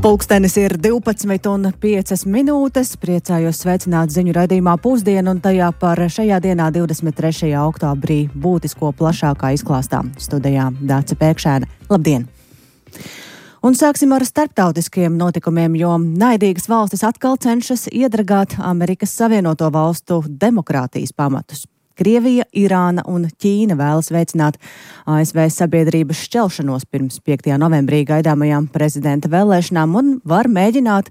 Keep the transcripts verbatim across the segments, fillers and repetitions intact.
Pulkstenis ir divpadsmit un piecas minūtes. Priecājos sveicināt ziņu raidījumā Pusdiena un tajā par šajā dienā divdesmit trešajā oktobrī būtisko plašākā izklāstā. Studijā Dāce Pēkšēna. Labdien! Un sāksim ar starptautiskiem notikumiem, jo naidīgas valstis atkal cenšas iedragāt Amerikas Savienoto Valstu demokrātijas pamatus. Krievija, Irāna un Ķīna vēlas veicināt A S V sabiedrības šķelšanos pirms piektajā novembrī gaidāmajām prezidenta vēlēšanām un var mēģināt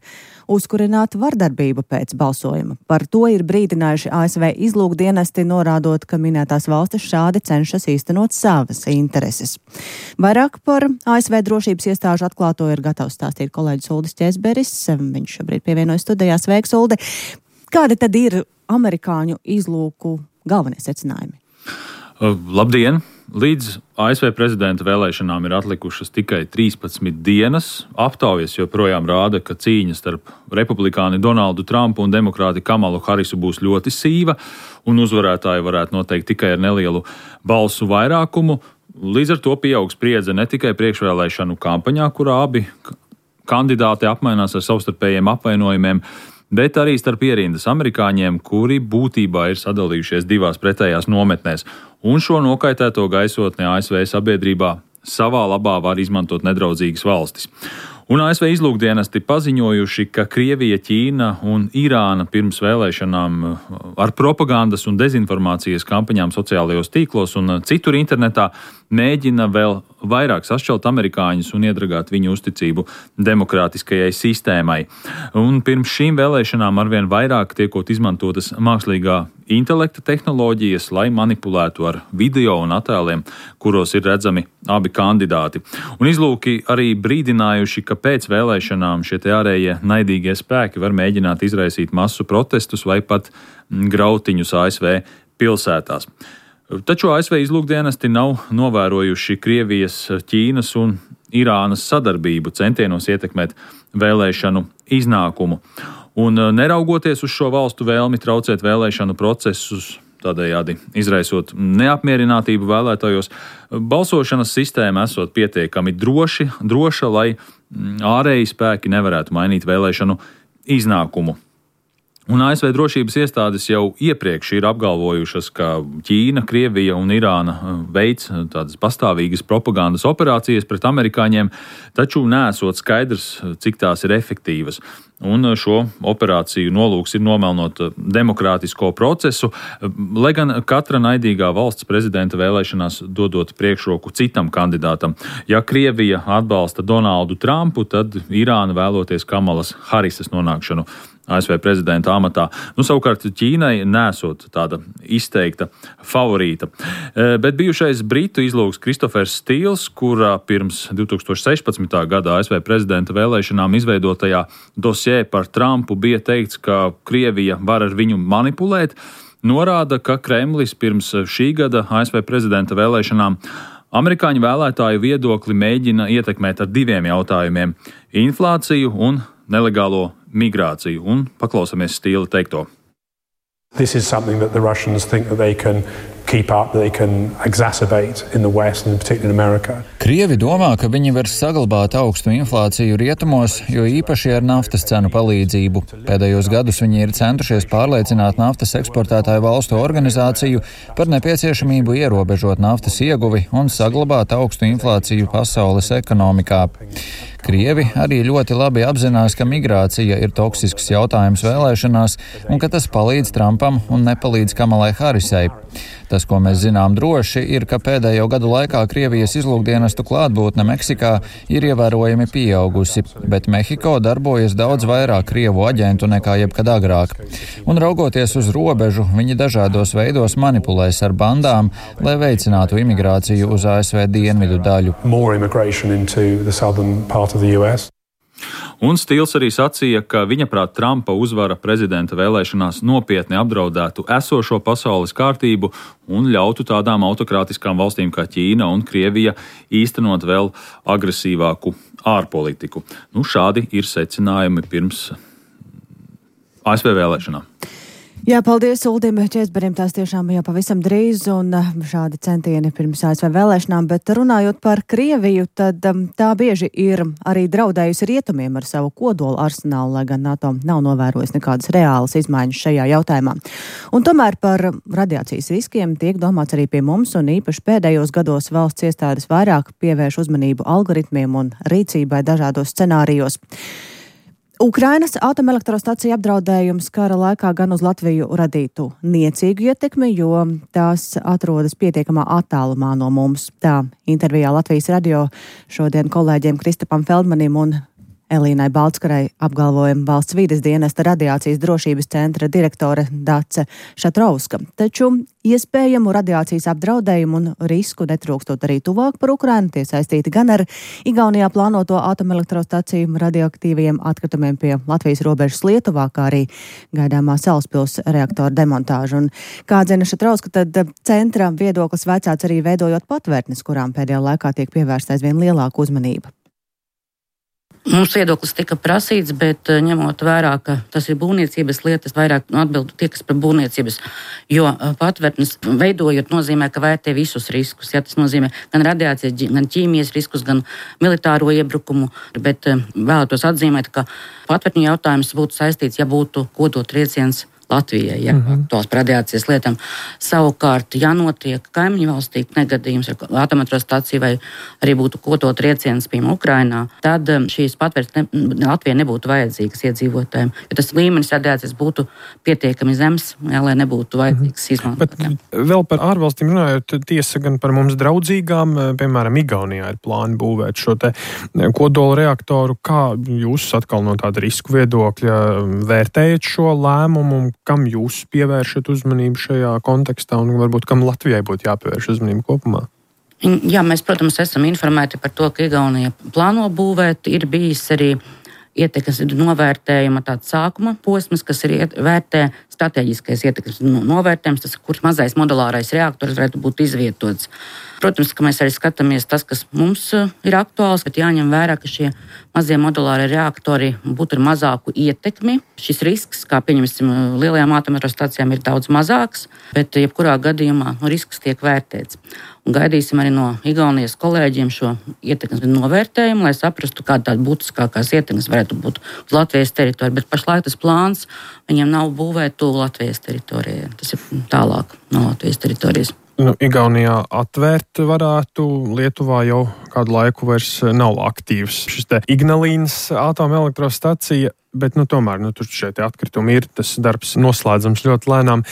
uzkurināt vardarbību pēc balsojuma. Par to ir brīdinājuši A S V izlūkdienesti, norādot, ka minētās valstis šādi cenšas īstenot savas intereses. Vairāk par A S V drošības iestāžu atklāto ir gatavs stāstīt kolēģis Uldis Ķēzberis. Viņš šobrīd pievienojas studijā. Sveiks, Uldi! Kādi tad ir amerikāņu izlūku galvenie secinājumi? Labdien! Līdz A S V prezidenta vēlēšanām ir atlikušas tikai trīspadsmit dienas. Aptaujas joprojām rāda, ka cīņa starp republikāni Donaldu Trumpu un demokrāti Kamalu Harisu būs ļoti sīva, un uzvarētāji varētu noteikt tikai ar nelielu balsu vairākumu. Līdz ar to pieaug spriedze ne tikai priekšvēlēšanu kampaņā, kurā abi kandidāti apmainās ar savstarpējiem apvainojumiem, bet arī starp ierindas amerikāņiem, kuri būtībā ir sadalījušies divās pretējās nometnēs. Un šo nokaitēto gaisotni A S V sabiedrībā savā labā var izmantot nedraudzīgas valstis. Un A S V izlūkdienesti paziņojuši, ka Krievija, Ķīna un Irāna pirms vēlēšanām ar propagandas un dezinformācijas kampaņām sociālajos tīklos un citur internetā mēģina vēl vairāk sašķelt amerikāņus un iedragāt viņu uzticību demokrātiskajai sistēmai. Un pirms šīm vēlēšanām arvien vairāk tiekot izmantotas mākslīgā intelekta tehnoloģijas, lai manipulētu ar video un attēliem, kuros ir redzami abi kandidāti. Un izlūki arī brīdinājuši, ka pēc vēlēšanām šie te ārējie naidīgie spēki var mēģināt izraisīt masu protestus vai pat grautiņus A S V pilsētās. Taču A S V izlūkdienesti nav novērojuši Krievijas, Ķīnas un Irānas sadarbību centienos ietekmēt vēlēšanu iznākumu. Un neraugoties uz šo valstu vēlmi traucēt vēlēšanu procesus, tādējādi izraisot neapmierinātību vēlētājos, balsošanas sistēma esot pietiekami droši, droša, lai ārēji spēki nevarētu mainīt vēlēšanu iznākumu. Un A S V drošības iestādes jau iepriekš ir apgalvojušas, ka Ķīna, Krievija un Irāna veic tādas pastāvīgas propagandas operācijas pret amerikāņiem, taču nesot skaidrs, cik tās ir efektīvas. Un šo operāciju nolūks ir nomelnot demokrātisko procesu, lai gan katra naidīgā valsts prezidenta vēlēšanās dodot priekšroku citam kandidātam. Ja Krievija atbalsta Donaldu Trumpu, tad Irāna vēloties Kamalas Harisas nonākšanu A S V prezidenta amatā. Nu, savukārt Ķīnai nesot tāda izteikta favorīta. Bet bijušais britu izlūks Kristofers Stīls, kurā pirms divi tūkstoši sešpadsmitā gada A S V prezidenta vēlēšanām izveidotajā dosjē par Trumpu bija teikts, ka Krievija var ar viņu manipulēt, norāda, ka Kremlis pirms šī gada A S V prezidenta vēlēšanām amerikāņu vēlētāju viedokli mēģina ietekmēt ar diviem jautājumiem – inflāciju un nelegālo migrāciju. Un paklausāmies Stīla teikto. This is something that the Russians think that they can keep up, that they can exacerbate in the West and particularly in America. Krievi domā, ka viņi var saglabāt augstu inflāciju rietumos, jo īpaši ar naftas cenu palīdzību. Pēdējos gadus viņi ir centušies pārliecināt naftas eksportētāju valstu organizāciju par nepieciešamību ierobežot naftas ieguvi un saglabāt augstu inflāciju pasaules ekonomikā. Krievi arī ļoti labi apzinās, ka migrācija ir toksisks jautājums vēlēšanās un ka tas palīdz Trumpam un nepalīdz Kamalai Harisai. Tas, ko mēs zinām droši, ir, ka pēdējo gadu laikā Krievijas izlūkdienestu klātbūtne Meksikā ir ievērojami pieaugusi, bet Mehiko darbojas daudz vairāk Krievu aģentu nekā jebkad agrāk. Un raugoties uz robežu, viņi dažādos veidos manipulēs ar bandām, lai veicinātu imigrāciju uz A S V dienvidu daļu. Un Stīls arī sacīja, ka viņaprāt Trumpa uzvara prezidenta vēlēšanās nopietni apdraudētu esošo pasaules kārtību un ļautu tādām autokrātiskām valstīm kā Ķīna un Krievija īstenot vēl agresīvāku ārpolitiku. Nu, šādi ir secinājumi pirms A S V vēlēšanām. Jā, paldies Uldim Čēzberim, tās tiešām jau pavisam drīz un šādi centieni pirms A S V vēlēšanām, bet runājot par Krieviju, tad tā bieži ir arī draudējusi rietumiem ar savu kodolu arsenālu, lai gan NATO nav novērojis nekādas reālas izmaiņas šajā jautājumā. Un tomēr par radiācijas riskiem tiek domāts arī pie mums, un īpaši pēdējos gados valsts iestādes vairāk pievērš uzmanību algoritmiem un rīcībai dažādos scenārijos. Ukrainas atomelektrostacija apdraudējums kara laikā gan uz Latviju radītu niecīgu ietekmi, jo tās atrodas pietiekamā attālumā no mums. Tā intervijā Latvijas radio šodien kolēģiem Kristapam Feldmanim un Elīnai Baltskarai apgalvoja valsts vides dienesta radiācijas drošības centra direktore Dace Šatrauska. Taču iespējamu radiācijas apdraudējumu un risku netrūkstot arī tuvāk par Ukrainu, tie saistīti gan ar Igaunijā plānoto atomelektrostaciju radioaktīviem atkritumiem pie Latvijas robežas Lietuvā, kā arī gaidāmā Salaspils reaktora demontāžu. Un, kā atzina Šatrauska, tad centra viedoklis vecāts arī veidojot patvērtnes, kurām pēdējā laikā tiek pievērsta aizvien lielāka uzmanība. Mums viedoklis tika prasīts, bet ņemot vērā, ka tas ir būvniecības lietas, vairāk atbildu tie, kas par būvniecības, jo patvērtnes veidojot nozīmē, ka vērtē visus riskus. Ja, tas nozīmē gan radiācijas, gan ķīmijas riskus, gan militāro iebrukumu, bet vēlētos atzīmēt, ka patvērtņu jautājums būtu saistīts, ja būtu kodotrieciens Latvijai, ja, uh-huh. tos par radiācijas lietām. Savukārt, ja notiek kaimiņu valstī negadījums ar atomelektrostaciju vai arī būtu kodotrieciens, piemēram, Ukrainā, tad šīs patvērtnes ne, Latvijai nebūtu vajadzīgas iedzīvotājiem, jo tas līmenis radiācijas būtu pietiekami zems, ja, lai nebūtu vajadzīgs uh-huh. izmantot. Bet vēl par ārvalstīm runājot, tiesa gan par mums draudzīgām, piemēram, Igaunijā ir plāni būvēt šo te kodola reaktoru. Kā jūs atkal no tāda risku viedokļa vērtējat šo lēmumu? Kam jūs pievēršat uzmanību šajā kontekstā un varbūt kam Latvijai būtu jāpievērš uzmanību kopumā? Jā, mēs, protams, esam informēti par to, ka Igaunija plāno būvēt. Ir bijis arī ietekmes novērtējuma tāds sākuma posms, kas ir iet, vērtē strateģiskais ietekmes novērtējums, tas, kur mazais modulārais reaktors varētu būt izvietots. Protams, ka mēs arī skatāmies tas, kas mums ir aktuāls, bet jāņem vērā, ka šie mazie modulārie reaktori būtu ar mazāku ietekmi. Šis risks, kā pieņemsim, lielajām atomelektrostacijām ir daudz mazāks, bet jebkurā gadījumā risks tiek vērtēts. Un gaidīsim arī no Igaunijas kolēģiem šo ietekmes novērtējumu, lai saprastu, kāda tāda būtiskākās ietekmes varētu būt uz Latvijas teritoriju. Bet pašlaik tas plāns viņiem nav būvēt tuvu Latvijas teritorijai. Tas ir tālāk no Latvijas teritorijas. Nu, Igaunijā atvērt varētu, Lietuvā jau kādu laiku vairs nav aktīvs šis te Ignalīnas atomelektrostacija, bet nu, tomēr nu, tur šeit atkritumi ir, tas darbs noslēdzams ļoti lēnām.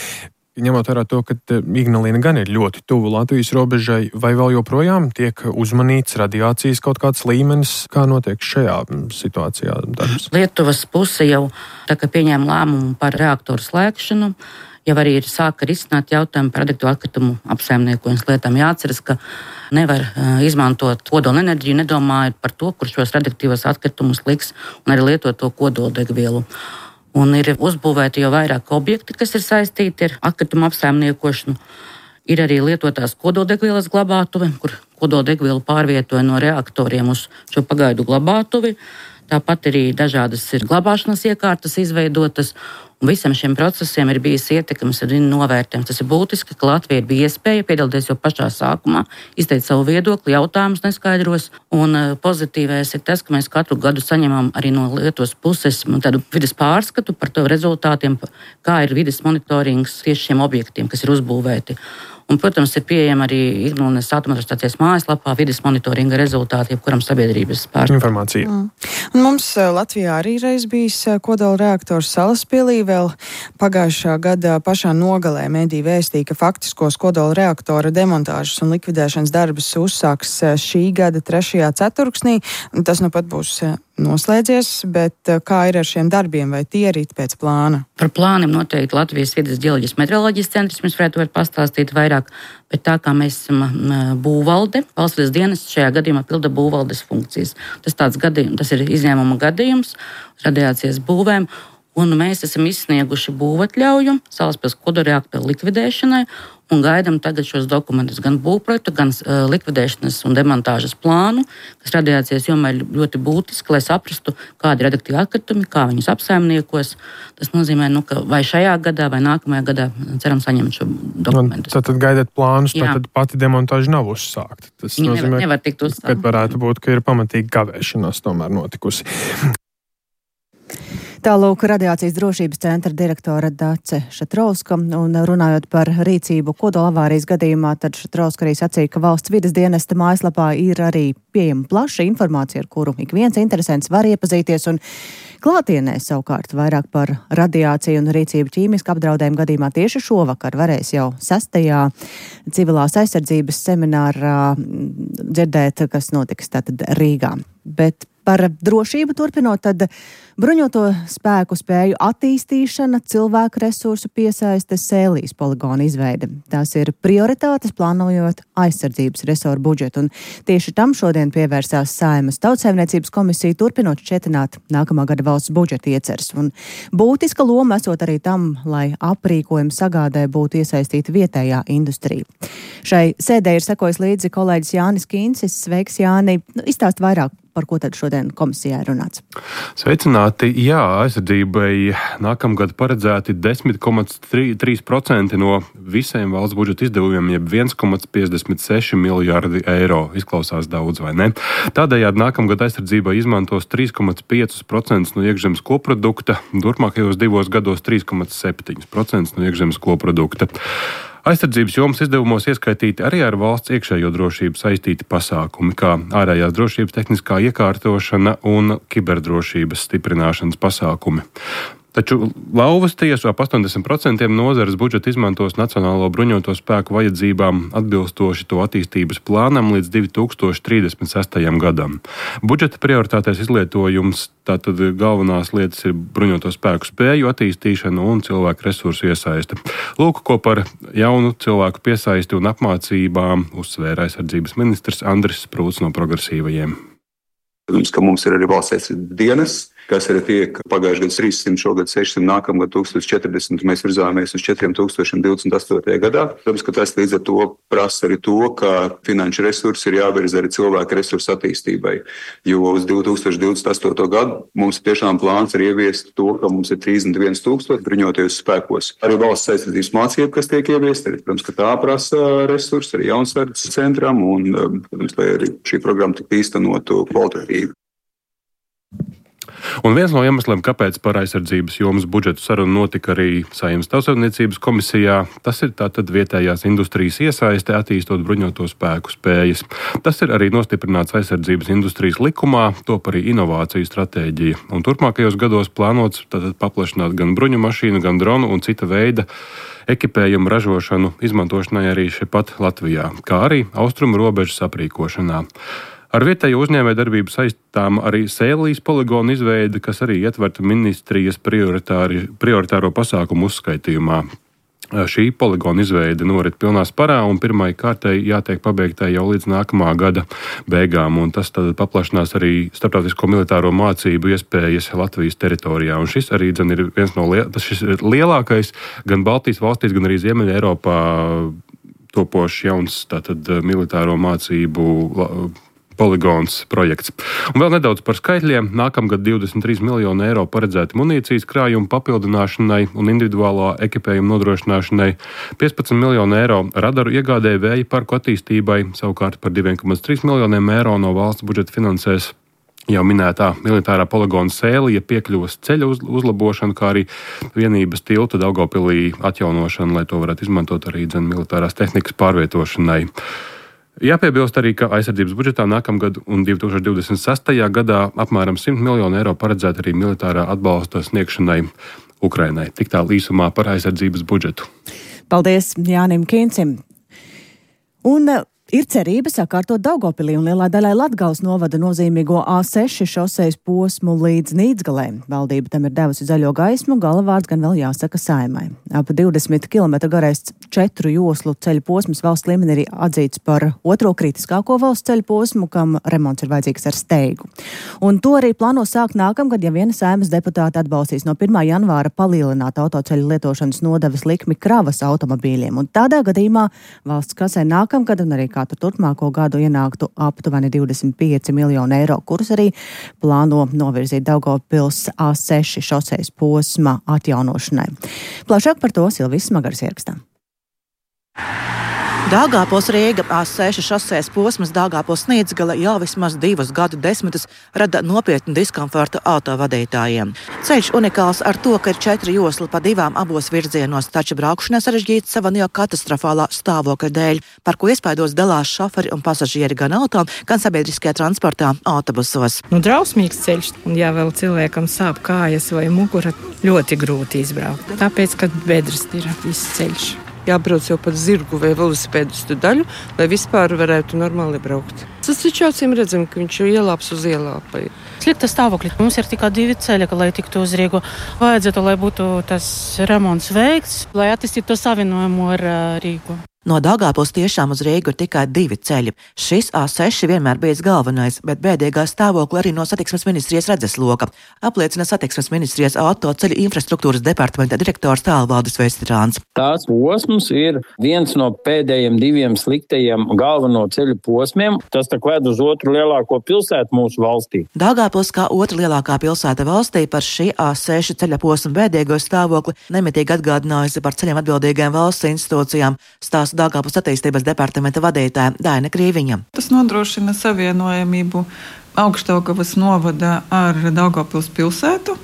Ņemot vērā to, ka Ignalīna gan ir ļoti tuvu Latvijas robežai, vai vēl joprojām tiek uzmanīts radiācijas kaut kāds līmenis, kā notiek šajā situācijā darbs? Lietuvas puse jau tā kā pieņēma lēmumu par reaktoru slēgšanu, jau arī ir sāka risināt jautājumu par radioaktīvo atkritumu apsaimniekošanas lietām. Jāatceras, ka nevar uh, izmantot kodola enerģiju, nedomājot par to, kur šos radioaktīvos atkritumus liks un arī lietot to kodoldegvielu. Un ir uzbūvēti jau vairāk objekti, kas ir saistīti ar atkritumu apsaimniekošanu. Ir arī lietotās kodoldegvielas glabātuve, kur kodoldegvielu pārvietoja no reaktoriem uz šo pagaidu glabātuvi. Tāpat arī dažādas ir glabāšanas iekārtas izveidotas. Un visam šiem procesiem ir bijis ietekmes ar novērtējums. Tas ir būtiski, ka Latvija bija iespēja piedalīties jau pašā sākumā, izteikt savu viedokli, jautājumus neskaidros. Un pozitīvais ir tas, ka mēs katru gadu saņemam arī no Lietuvas puses tādu vides pārskatu par to rezultātiem, kā ir vides monitorings tieši šiem objektiem, kas ir uzbūvēti. Un, protams, ir pieejama arī Ignalīnas atomelektrostacijas mājaslapā vides monitoringa rezultāti, jebkuram sabiedrības pārstāvjiem. Informācija. Mm. Un mums Latvijā arī reiz bijis kodola reaktors Salaspilī. Vēl pagājušā gada pašā nogalē mediji vēstīja, ka faktiskos kodola reaktora demontāžas un likvidēšanas darbus uzsāks šī gada trešajā ceturksnī. Tas nu pat būs noslēdzies, bet kā ir ar šiem darbiem, vai tie ir pēc plāna? Par plāniem noteikti Latvijas vides ģeoloģijas meteoroloģijas centrs mums varētu pastāstīt vairāk, bet tā kā mēs esam būvvalde, valsts vides dienests šajā gadījumā pilda būvvaldes funkcijas. Tas tāds gadījums, tas ir izņēmuma gadījums radiācijas būvēm, Un mēs esam izsnieguši būvatļauju Salaspils kodolreaktoru likvidēšanai un gaidām tagad šos dokumentus, gan būvprojektu, gan uh, likvidēšanas un demontāžas plānu, kas radiācijas jomā ir ļoti būtiski, lai saprastu, kādi ir radioaktīvi atkritumi, kā viņus apsaimniekos. Tas nozīmē, nu, ka vai šajā gadā, vai nākamajā gadā ceram saņemt šo dokumentus. Tad, tad gaidat plānus, tad pati demontāža nav uzsākta. Tas Viņa nozīmē, nevar, nevar tikt uzsākta. Kad varētu būt, ka ir pamatīgi kavēšanās tomēr notikusi. Tālūk radiācijas drošības centra direktore Dace Šatrauska, un runājot par rīcību kodola avārijas gadījumā, tad Šatrauska arī sacīja, ka valsts vides dienesta mājaslapā ir arī pieejama plaša informācija, ar kuru ik viens interesents var iepazīties, un klātienē savukārt vairāk par radiāciju un rīcību ķīmiska apdraudējuma gadījumā tieši šovakar varēs jau sastajā civilās aizsardzības seminārā dzirdēt, kas notiks tātad Rīgā. Bet par drošību turpinot, tad bruņoto spēku spēju attīstīšana, cilvēku resursu piesaiste, Sēlijas poligona izveide. Tās ir prioritātes plānojot aizsardzības resoru budžetu, un tieši tam šodien pievērsās Saeimas Tautsaimniecības komisija, turpinot šķietināt nākamā gada valsts budžeta ieceres. Un būtiska loma esot arī tam, lai aprīkojuma sagādē būtu iesaistīta vietējā industrija. Šai sēdē ir sekojis līdzi kolēģis Jānis Kīncis. Sveiks, Jāni! Nu, izstāst vairāk, par ko tad šodien komisijā ir runāts. Sveicināti! Jā, aizsardzībai nākamgad paredzēti desmit komā trīs procenti no visiem valsts budžeta izdevumiem, jeb viens komā piecdesmit seši miljārdi eiro. Izklausās daudz, vai ne? Tādējādi nākamgad aizsardzībai izmantos trīs komā pieci procenti no iekšzemes koprodukta, turpmākajos divos gados trīs komā septiņi procenti no iekšzemes koprodukta. Aizsardzības jomas izdevumos ieskaitīti arī ar valsts iekšējo drošību saistīti pasākumi, kā ārējās drošības tehniskā iekārtošana un kiberdrošības stiprināšanas pasākumi. Taču lauvas tiesu ap astoņdesmit procenti nozares budžeta izmantos Nacionālo bruņoto spēku vajadzībām atbilstoši to attīstības plānam līdz divi tūkstoši trīsdesmit sestajam gadam. Budžeta prioritātais izlietojums, tātad galvenās lietas ir bruņoto spēku spēju attīstīšana un cilvēku resursu iesaiste. Lūk, ko par jaunu cilvēku piesaisti un apmācībām uzsvēra aizsardzības ministrs Andris Sprūts no Progresīvajiem. Protams, ka mums ir arī valsts aizsardzības dienas, kas arī tiek pagājušajā gadā trīssimt, šogad sešsimt, nākamgad tūkstoš četrdesmit, mēs virzāmies uz četriem tūkstošiem divdesmit astotajā gadā. Protams, ka tas līdz ar to prasa arī to, ka finanšu resursi ir jāvirza arī cilvēku resursu attīstībai, jo uz divi tūkstoši divdesmit astoto gadu mums tiešām plāns ir ieviest to, ka mums ir trīsdesmit viens tūkstoši bruņotajos spēkos. Arī valsts aizsardzības mācība, kas tiek ieviesta, arī, protams, ka tā prasa resursi arī jaunsardzes centram un, protams, lai arī šī programma tiktu īstenotu kvalitatīvi. Un viens no iemesliem, kāpēc par aizsardzības jomas budžetu sarunu notika arī Saeimas Tautsaimniecības komisijā, tas ir tātad vietējās industrijas iesaiste attīstot bruņoto spēku spējas. Tas ir arī nostiprināts aizsardzības industrijas likumā, top arī inovāciju stratēģija. Un turpmākajos gados plānots tātad paplašināt gan bruņu mašīnu, gan dronu un cita veida ekipējumu ražošanu izmantošanai arī šepat Latvijā, kā arī austrumu robežas aprīkošanā. Ar vietējo uzņēmējdarbību saistām arī Sēlijas poligona izveide, kas arī ietverta ministrijas prioritāro pasākumu uzskaitījumā. Šī poligona izveide norit pilnā sparā un pirmai kārtai jātiek pabeigtai jau līdz nākamā gada beigām, un tas tad paplašinās arī starptautisko militāro mācību iespējas Latvijas teritorijā. Un šis arī dzen ir viens no liel... tas šis ir lielākais gan Baltijas valstīs, gan arī Ziemeļa Eiropā topošs jauns tātad militāro mācību poligons projekts. Un vēl nedaudz par skaitļiem. Nākamgad divdesmit trīs miljoni eiro paredzēti munīcijas krājumu papildināšanai un individuālā ekipējuma nodrošināšanai, piecpadsmit miljoni eiro radaru iegādē vēja parku attīstībai, savukārt par divi komā trīs miljoniem eiro no valsts budžeta finansēs jau minētā militārā poligona Sēlija piekļuvas ceļa uz, uzlabošanu, kā arī vienības tilta Daugavpilī atjaunošanu, lai to varētu izmantot arī dzen militārās tehnikas pārvietošanai. Jāpiebilst arī, ka aizsardzības budžetā nākamgad un divi tūkstoši divdesmit sestajā gadā apmēram simt miljonu eiro paredzēta arī militārā atbalsta sniegšanai Ukrainai. Tik tā īsumā par aizsardzības budžetu. Paldies Jānim Kīncim. Un Ir cerība sakārtot Daugavpilī un lielā daļai Latgales novada nozīmīgo A seši šosejas posmu līdz Nīdzgalē. Valdība tam ir devusi zaļo gaismu, galavārds gan vēl jāsaka Saeimai. Ap divdesmit kilometru garais četru joslu ceļu posms valsts līmenī ir atzīts par otro kritiskāko valsts ceļu posmu, kam remonts ir vajadzīgs ar steigu. Un to arī plāno sākt nākamgad, ja viena Saeimas deputāta atbalstīs no pirmā janvāra palielināt autoceļu lietošanas nodevas likmi kravas automobīļiem. Un tādā gadījumā valsts kasē nākamgad un arī katru turpmāko gadu ienāktu aptuveni divdesmit pieci miljoni eiro, kurus arī plāno novirzīt Daugavpils A seši šosejas posma atjaunošanai. Plašāk par to Silvijas Smagaras ierakstā. Daugavpils Rīga A seši šosejas posmas Daugavpils Nīdzgale jau vismaz divus gadu desmitus rada nopietnu diskomfortu autovadītājiem. Ceļš unikāls ar to, ka ir četri josli pa divām abos virzienos, taču braukšanai sarežģīts sava jau katastrofālā stāvokļa dēļ, par ko iespaidos dalās šoferi un pasažieri gan auto, gan sabiedriskajā transportā autobusos. Nu, drausmīgs ceļš, un ja vēl cilvēkam sāp kājas vai mugura, ļoti grūti izbraukt. Tāpēc, ka bedres ir viss ceļš. Jābrauc jau pat zirgu vai velosipēdistu daļu, lai vispār varētu normāli braukt. Tas taču acīm redzam, ka viņš jau ielāps uz ielāpai. Slikta stāvokļa. Mums ir tikai divi ceļi, lai tiktu uz Rīgu. Vajadzētu, lai būtu tas remonts veikts, lai attīstītu to savienojumu ar Rīgu. No Daugavpils tiešām uz Rīgu ir tikai divi ceļi. Šis A seši vienmēr bijis galvenais, bet bēdīgā stāvokļa arī no satiksmes ministrijas redzesloka, apliecina satiksmes ministrijas autoceļu infrastruktūras departamenta direktors Tālvaldis Vestrāns. Tās posms ir viens no pēdējiem diviem sliktajiem galveno ceļu posmiem. Tas tak ved uz otru lielāko pilsētu mūsu valstī. Daugavpils kā otra lielākā pilsēta valstī par šī A seši ceļa posma bēdīgo stāvokli nemitīgi atgādinājusi par ceļiem atbildīgajām valsts institūcijām. Stās Daugavpils attīstības departamenta vadītāja Daina Krīviņa. Tas nodrošina savienojamību Augšdaugavas novada ar Daugavpils pilsētu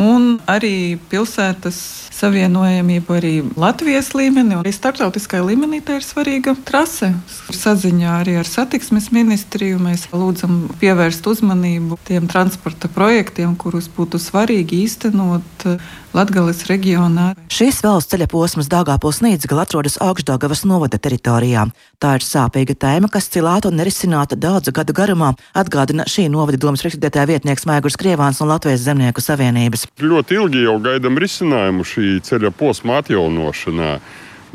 un arī pilsētas savienojamību arī Latvijas līmenī un arī starptautiskā līmenī. Tā ir svarīga trase. Saziņā arī ar satiksmes ministriju mēs lūdzam pievērst uzmanību tiem transporta projektiem, kurus būtu svarīgi īstenot Latgales reģionā. Šis valsts ceļa posms Daugavpils Nīdzgale atrodas Augšdaugavas novada teritorijā. Tā ir sāpīga tēma, kas cilāta un nerisināta daudzu gadu garumā, atgādina šī novada domas priekšsēdētāja vietnieks Maigurs Krievāns no Latvijas Zemnieku savienības. Ļoti ilgi jau gaidam risinājumu šī ceļa posma atjaunošanā.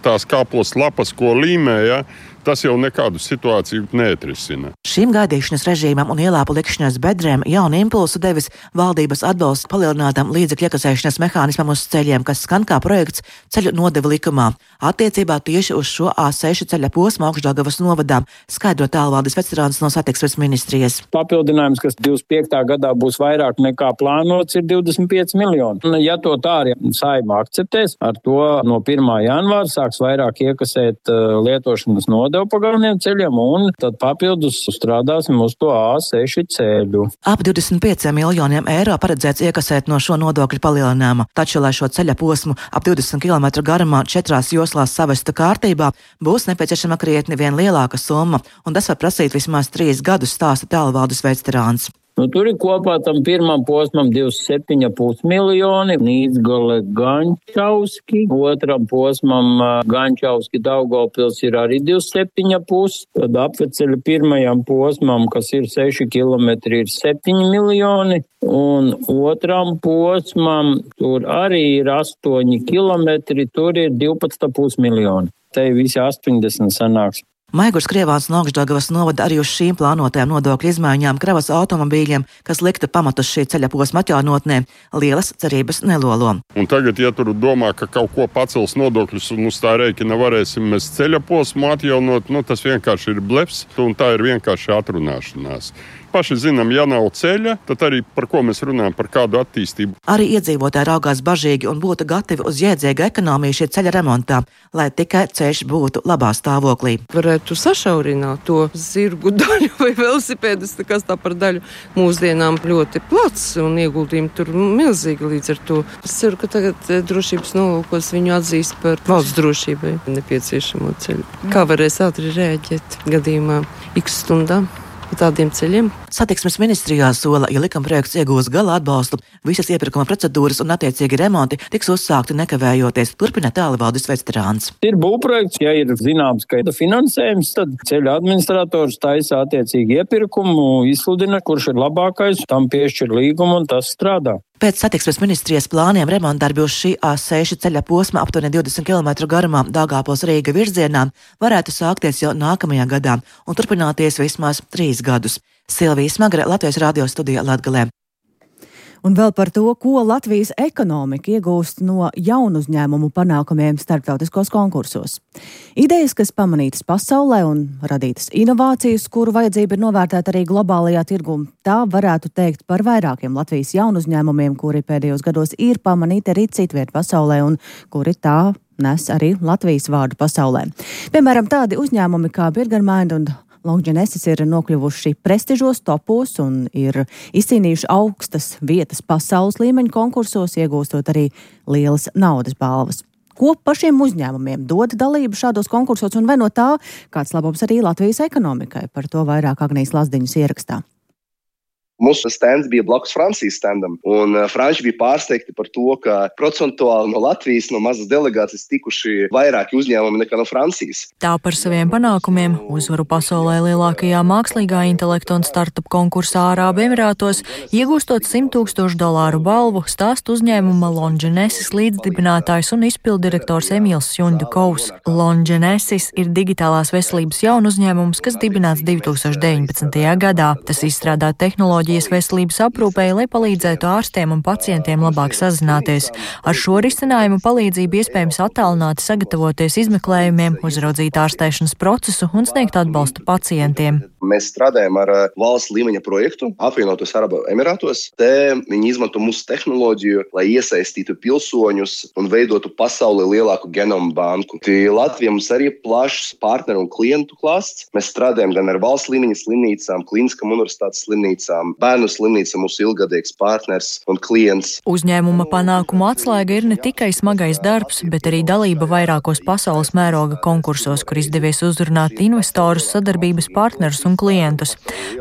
Tās kāpos lapas, ko līmēja, tas jau nekādu situāciju neatrisina. Šīm gaidīšanas režīmam un ielāpu likšanas bedrēm jaunu impulsu devis valdības atbalsts palielinātam līdzekļu iekasēšanas mehānismam uz ceļiem, kas skan kā projekts ceļu nodevu likumā. Attiecībā tieši uz šo A seši ceļa posmu Augšdaugavas novadā, skaidro Tālvaldis Vestrāns no satiksmes ministrijas. Papildinājums, kas divdesmit piektā gadā būs vairāk nekā plānots, ir divdesmit pieci miljoni. Un, ja to tā arī Saeima akceptēs, ar to no pirmā janvāra sāks vairāk iekasēt uh, lietošanas nodevu pa galveniem ceļiem, un tad papildus strādāsim uz to A seši ceļu. Ap divdesmit pieciem miljoniem eiro paredzēts iekasēt no šo nodokļu palielinājuma, taču, lai šo ceļa posmu ap divdesmit kilometru garumā četrās joslās savestu kārtībā, būs nepieciešama krietni vien lielāka summa, un tas var prasīt vismaz trīs gadus, stāsta Tālvaldis Vestrāns. Nu, tur ir kopā tam pirmam posmam divdesmit septiņi komats pieci miljoni, Nīdzgale Gančauski, otram posmam Gančauski Daugavpils ir arī divdesmit septiņi komats pieci, tad apveceļa pirmajam posmam, kas ir seši kilometri, ir septiņi miljoni, un otram posmam tur arī ir astoņi kilometri, tur ir divpadsmit komats pieci miljoni. Te visi astoņdesmit sanāks. Maigurs Krievāns no Augšdaugavas novada arī uz šīm plānotajām nodokļu izmaiņām kravas automobīļiem, kas liktu pamatus šī ceļa posma atjaunotnē, lielas cerības nelolo. Un tagad, ja tur domā, ka kaut ko pacels nodokļus un uz tā rēķina varēsim mēs ceļa posmu atjaunot, nu tas vienkārši ir blefs, un tā ir vienkārši atrunāšanās. Paši zinām, ja nav ceļa, tad arī par ko mēs runājam, par kādu attīstību. Arī iedzīvotāji raugās bažīgi un būtu gatavi uz jēdzīgu ekonomiju šī ceļa remontā, lai tikai ceļš būtu labā stāvoklī. Varētu sašaurināt to zirgu daļu vai velosipēdus, kas tā par daļu mūsdienām ļoti plats un ieguldījumi tur milzīgi līdz ar to. Es ceru, ka tagad drošības nolūkos viņu atzīst par valsts drošībai nepieciešamo ceļu. Kā varēs ātri rēģēt gadījumā x stundām? pa tādiem ceļiem. Satiksmes ministrijā sola, ja likumprojekts iegūs gala atbalstu, visas iepirkuma procedūras un attiecīgi remonti tiks uzsākti nekavējoties, turpina Tālvaldis Vesterāns. Ir būvprojekts, ja ir zināms, ka ir finansējums, tad ceļa administrators taisa attiecīgi iepirkumu, izsludina, kurš ir labākais, tam piešķir līgumu un tas strādā. Pēc satiksmes ministrijas plāniem remontdarbi uz šī A seši ceļa posma aptuveni divdesmit kilometru garumā Daugavpils-Rīga virzienā varētu sākties jau nākamajā gadā un turpināties vismaz trīs gadus. Silvija Smagre, Latvijas radio studija Latgalē. Un vēl par to, ko Latvijas ekonomika iegūst no jaunu uzņēmumu panākumiem starptautiskos konkursos. Idejas, kas pamanītas pasaulē un radītas inovācijas, kuru vajadzība ir novērtēta arī globālajā tirgū, tā varētu teikt par vairākiem Latvijas jaunu uzņēmumiem, kuri pēdējos gados ir pamanīti arī citviet pasaulē un kuri tā nes arī Latvijas vārdu pasaulē. Piemēram, tādi uzņēmumi kā Burgermind un Longenesis ir nokļuvuši prestižos topos un ir izcīnījuši augstas vietas pasaules līmeņa konkursos, iegūstot arī lielas naudas balvas. Ko pašiem uzņēmumiem dod dalību šādos konkursos un vai no tā kāds labums arī Latvijas ekonomikai? Par to vairāk Agnijas Lazdiņas ierakstā. Mūsu stands bija blakus Francijas standam, un franči bija pārsteigti par to, ka procentuāli no Latvijas, no mazas delegācijas tikuši vairāki uzņēmumi nekā no Francijas. Tā par saviem panākumiem uzvaru pasaulē lielākajā mākslīgā intelekta un startup konkursā Arābu Emirātos, iegūstot simt tūkstošu dolāru balvu, stāst uzņēmuma Longenesis līdzdibinātājs un izpildirektors Emīls Sjundukovs. Longenesis ir digitālās veselības jaunu uzņēmums, kas dibināts divi tūkstoši deviņpadsmitajā gadā. Tas izstrādā tehnoloģiju veselības aprūpei, lai palīdzētu ārstiem un pacientiem labāk sazināties. Ar šo risinājumu palīdzību iespējams attālināti sagatavoties izmeklējumiem, uzraudzīt ārstēšanas procesu un sniegt atbalstu pacientiem. Mēs strādājam ar valsts līmeņa projektu apvienotos Arābu Emirātos. Te viņi izmanto mūsu tehnoloģiju, lai iesaistītu pilsoņus un veidotu pasaulē lielāku genomu banku. Latvijā mums arī plašs partneru un klientu klāsts. Mēs strādājam gan ar valsts līmeņa slimnīcām, klīniskām universitātes slimnīcām, bērnu slimnīca mūsu ilgadīgs partners un klients. Uzņēmuma panākumu atslēga ir ne tikai smagais darbs, bet arī dalība vairākos pasaules mēroga konkursos, kur izdevies uzrunāt investorus, sadarbības partnerus un klientus.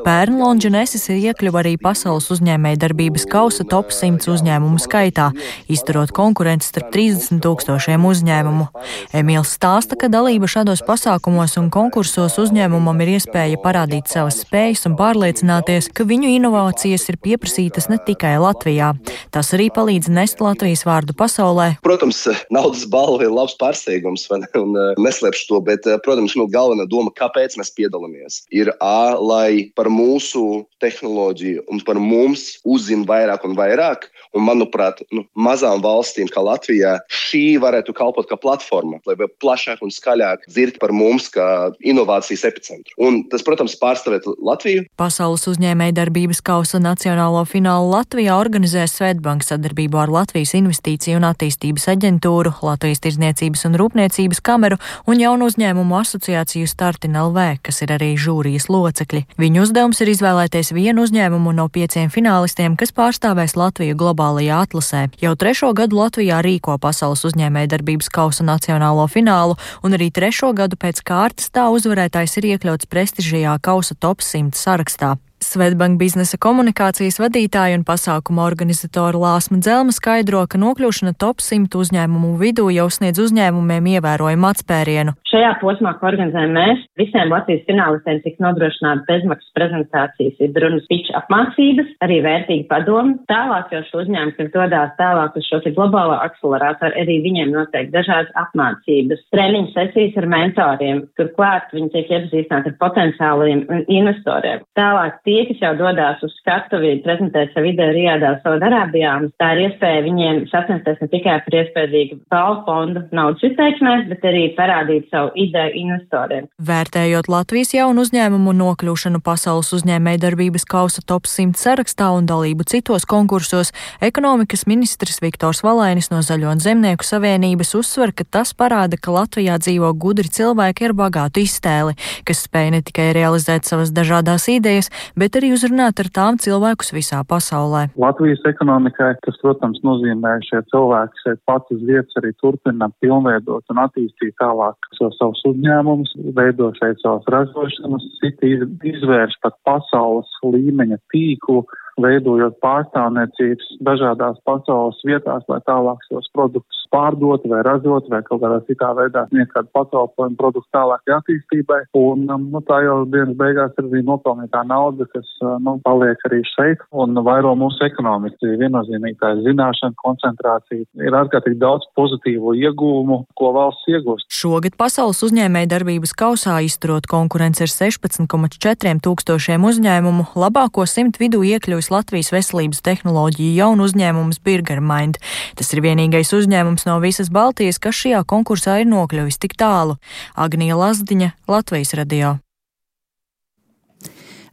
Pērn Longenesis iekļuva arī pasaules uzņēmēja darbības kausa top simts uzņēmumu skaitā, izturot konkurenci starp trīsdesmit tūkstošiem uzņēmumu. Emīls stāsta, ka dalība šādos pasākumos un konkursos uzņēmumam ir iespēja parādīt savas spējas un pārliecināties, ka viņu inovācijas ir pieprasītas ne tikai Latvijā. Tas arī palīdz nest Latvijas vārdu pasaulē. Protams, naudas balva ir labs pārsteigums, un neslēpšu to, bet, protams, nu, galvenā doma, kāpēc mēs piedalāmies, ir A, lai par mūsu tehnoloģiju un par mums uzzina vairāk un vairāk, un, manuprāt, nu, mazām valstīm kā Latvijā šī varētu kalpot kā platforma, lai vēl plašāk un skaļāk dzird par mums kā inovācijas epicentru. Un tas, protams, pārstāvēt Latviju. Pasaules uzņēmēja darbības kausa nacionālo finālu Latvijā organizē Swedbank sadarbībā ar Latvijas Investīciju un attīstības aģentūru, Latvijas Tirdzniecības un Rūpniecības kameru un jaunu uzņēmumu asociāciju Startin L V, kas ir arī žūrijas locekļi. Viņu uzdevums ir izvēlēties vienu uzņēmumu no pieciem finālistiem, kas pārstāvēs Latviju globālajā atlasē. Jau trešo gadu Latvijā rīko pasaules uzņēmēja darbības kausa nacionālo finālu, un arī trešo gadu pēc kārtas tā uzvarētājs ir iekļauts prestižajā kausa top simt sarakstā. Swedbank biznesa komunikācijas vadītāja un pasākuma organizatora Lāsma Dzelma skaidro, ka nokļūšana top simt uzņēmumu vidū jau sniedz uzņēmumiem ievērojumu atspērienu. Šajā posmā, ko organizējam mēs, visiem Latvijas finālistiem tiks nodrošināta bezmaksas prezentācijas, ir runas pitch apmācības, arī vērtīgi padomi. Tālāk jau šo uzņēmumu, kas dodās tālāk uz šo globālo akcelerātoru, arī viņiem noteikti dažādas apmācības, treniņu sesijas ar mentoriem. Turklāt viņi tiek iepazīstināti ar potenciāliem investoriem. Tālāk tie, kas jau dodās uz skatuvi, prezentēt savu ideju Rijadā, Saudarābijā, tā ir iespēja viņiem sasniegties ne tikai par iespējīgu balvu fondu naudas izteiksmēs, bet arī parādīt savu ideju investoriem. Vērtējot Latvijas jaunu uzņēmumu nokļūšanu pasaules uzņēmēja darbības kausa top simt sarakstā un dalību citos konkursos, ekonomikas ministrs Viktors Valainis no Zaļo un Zemnieku savienības uzsver, ka tas parāda, ka Latvijā dzīvo gudri cilvēki ar bagātu iztēli, kas spēj ne tikai realizēt savas dažādās idejas, bet arī uzrunāt ar tām cilvēkus visā pasaulē. Latvijas ekonomikai tas, protams, nozīmē šie cilvēki šeit pats uz vietas arī turpina pilnveidot un attīstīt tālāk so savus uzņēmumus, veido šeit savas ražošanas, citi izvērš pat pasaules līmeņa tīklu, veidojot pārstāvniecības dažādās pasaules vietās, lai tālāk šos produktus pārdot vai ražot vai kaut kādā citā veidā sniegt kādu pakalpojumu produktu tālākai attīstībai. Un nu, tā jau dienas beigās ir arī nopelnītā nauda, kas nu, paliek arī šeit un vairo mūsu ekonomiku. Viennozīmīgi tā zināšana, koncentrācija ir ārkārtīgi daudz pozitīvu ieguvumu, ko valsts iegūst. Šogad pasaules uzņēmēja darbības kausā izturot konkurence ar sešpadsmit komats četri tūkstošiem uzņēmumu, labāko simt vidū iekļuvis Latvijas veselības tehnoloģiju jaunu uzņēmums Birgermind. Tas ir vienīgais uzņēmums no visas Baltijas, kas šajā konkursā ir nokļuvis tik tālu. Agnija Lazdiņa, Latvijas radio.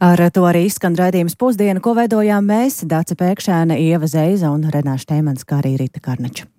Ar to arī izskan raidījums Pusdiena, ko veidojām mēs, Dace Pēkšēne, Ieva Zeiza un Renāša Teimans, kā arī Rita Karnača.